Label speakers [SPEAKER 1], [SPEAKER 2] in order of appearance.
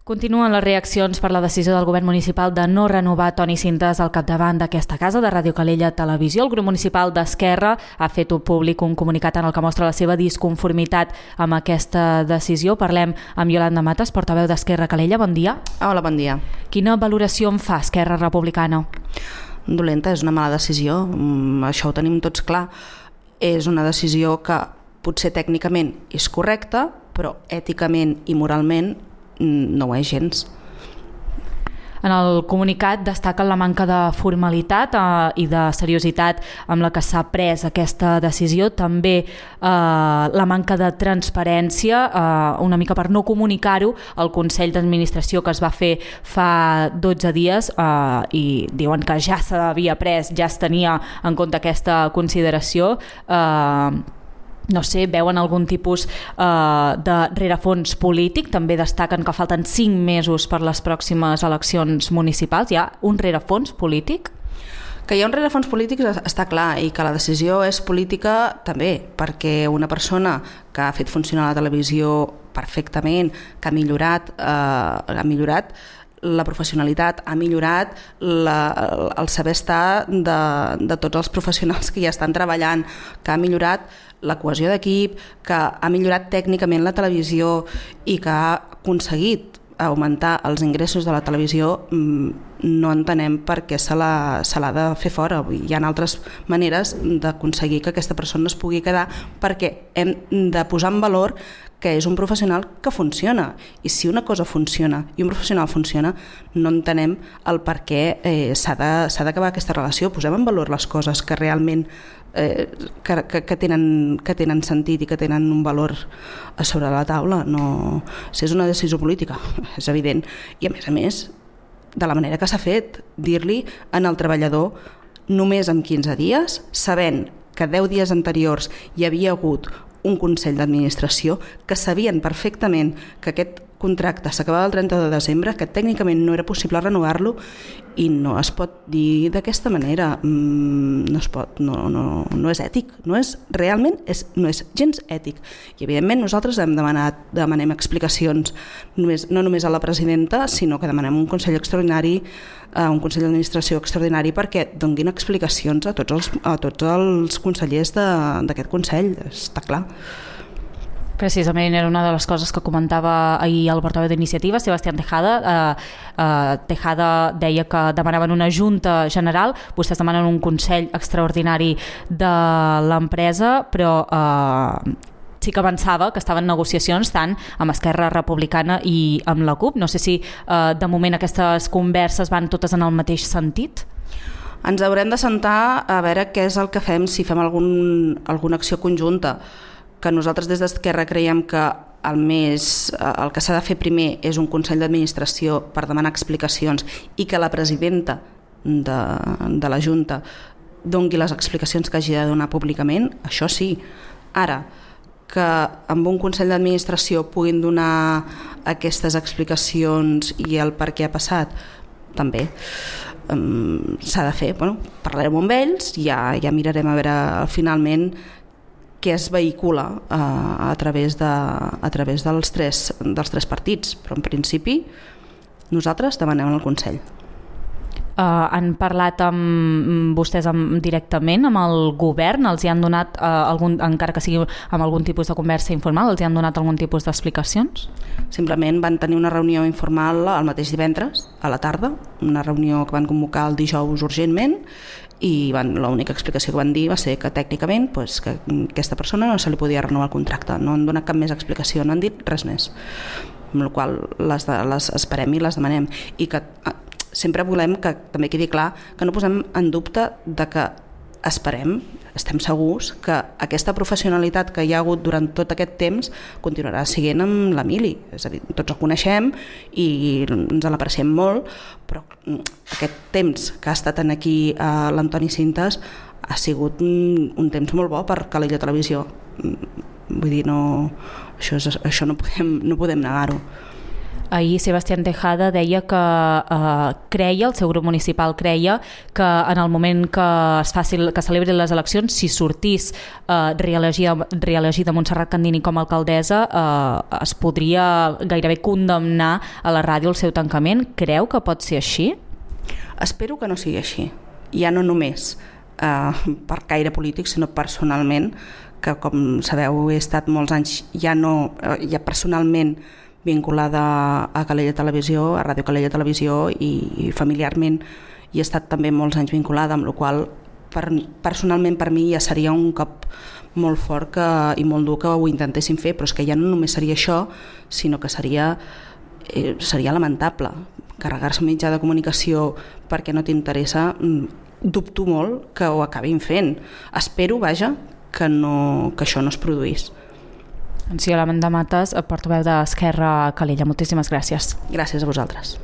[SPEAKER 1] Continuen les reaccions per la decisió del govern municipal de no renovar Toni Cintas al capdavant d'aquesta casa de Ràdio Calella Televisió. El grup municipal d'Esquerra ha fet públic un comunicat en el que mostra la seva disconformitat amb aquesta decisió. Parlem amb Iolanda Matas, portaveu d'Esquerra Calella. Bon dia.
[SPEAKER 2] Hola, bon dia.
[SPEAKER 1] Quina valoració en fa Esquerra Republicana?
[SPEAKER 2] Dolenta, és una mala decisió, això ho tenim tots clar. És una decisió que potser tècnicament és correcta, però èticament i moralment no ho és gens.
[SPEAKER 1] En el comunicat destaquen la manca de formalitat i de seriositat amb la que s'ha pres aquesta decisió, també la manca de transparència, una mica per no comunicar-ho al Consell d'Administració que es va fer fa 12 dies i diuen que ja s'havia pres, ja es tenia en compte aquesta consideració. No sé, veuen algun tipus de rerefons polític? També destaquen que falten 5 mesos per les pròximes eleccions municipals. Hi ha un rerefons polític?
[SPEAKER 2] Que hi ha un rerefons polític està clar, i que la decisió és política també, perquè una persona que ha fet funcionar la televisió perfectament, que ha millorat la professionalitat, ha millorat el saber estar de tots els professionals que hi estan treballant, que ha millorat la cohesió d'equip, que ha millorat tècnicament la televisió i que ha aconseguit augmentar els ingressos de la televisió, no entenem per què se l'ha de fer fora. Hi ha altres maneres d'aconseguir que aquesta persona es pugui quedar, perquè hem de posar en valor que és un professional que funciona, i si una cosa funciona i un professional funciona, no entenem el per què s'ha d'acabar aquesta relació. Posem en valor les coses que realment que tenen sentit i que tenen un valor a sobre la taula. No, si és una decisió política, és evident, i a més, de la manera que s'ha fet, dir-li al treballador només en 15 dies, sabent que 10 dies anteriors hi havia hagut un Consell d'Administració, que sabien perfectament que aquest contracte s'acabava el 30 de desembre, que tècnicament no era possible renovar-lo, i no es pot dir d'aquesta manera. No es pot, no és ètic, no és gens ètic. I evidentment nosaltres demanem explicacions, no només a la presidenta, sinó que demanem un Consell extraordinari, un Consell d'Administració extraordinari, perquè donguin explicacions a tots els consellers d'aquest Consell, està clar.
[SPEAKER 1] Precisament era una de les coses que comentava ahir el portaveu d'Iniciativa, Sebastián Tejada. Tejada deia que demanaven una junta general, vostès demanen un Consell extraordinari de l'empresa, però sí que avançava que estaven negociacions tant amb Esquerra Republicana i amb la CUP. No sé si de moment aquestes converses van totes en el mateix sentit.
[SPEAKER 2] Ens haurem de sentar a veure què és el que fem, si fem alguna acció conjunta, que nosaltres des d'Esquerra creiem que el que s'ha de fer primer és un Consell d'Administració per demanar explicacions i que la presidenta de la Junta doni les explicacions que hagi de donar públicament, això sí. Ara, que amb un Consell d'Administració puguin donar aquestes explicacions i el per què ha passat, també s'ha de fer. Parlarem amb ells i ja mirarem a veure finalment què es vehicula a través dels tres partits, però en principi nosaltres demanem el Consell.
[SPEAKER 1] Han parlat amb vostès directament amb el govern? Els hi han donat, encara que sigui amb algun tipus de conversa informal, els hi han donat algun tipus d'explicacions?
[SPEAKER 2] Simplement van tenir una reunió informal el mateix divendres, a la tarda, una reunió que van convocar el dijous urgentment, i l'única explicació que van dir va ser que tècnicament que aquesta persona no se li podia renovar el contracte. No han donat cap més explicació, no han dit res més, amb la qual cosa les esperem i les demanem, i que sempre volem que també quedi clar que no posem en dubte de que estem segurs que aquesta professionalitat que hi ha hagut durant tot aquest temps continuarà siguent amb l'Emili. És a dir, tots el coneixem i ens l'apreciem molt, però aquest temps que ha estat aquí l'Antoni Cintas ha sigut un temps molt bo per Calella Televisió. Vull dir, això no podem negar-ho.
[SPEAKER 1] ahir Sebastián Tejada deia que creia, el seu grup municipal creia, que en el moment que celebrin les eleccions, si sortís reelegida Montserrat Candini com a alcaldessa, es podria gairebé condemnar a la ràdio el seu tancament. Creu que pot ser així?
[SPEAKER 2] Espero que no sigui així. Ja no només per caire polític, sinó personalment, que com sabeu he estat molts anys ja personalment vinculada a Calella Televisió, a Ràdio Calella Televisió, i familiarment hi he estat també molts anys vinculada, amb la qual personalment per mi ja seria un cop molt fort i molt dur que ho intentessin fer, però és que ja no només seria això, sinó que seria lamentable carregar-se un mitjà de comunicació perquè no t'interessa. Dubto molt que ho acabin fent. Espero, vaja, que això no es produís.
[SPEAKER 1] Doncs sí, Amanda Matas, portaveu d'Esquerra a Calella. Moltíssimes gràcies.
[SPEAKER 2] Gràcies a vosaltres.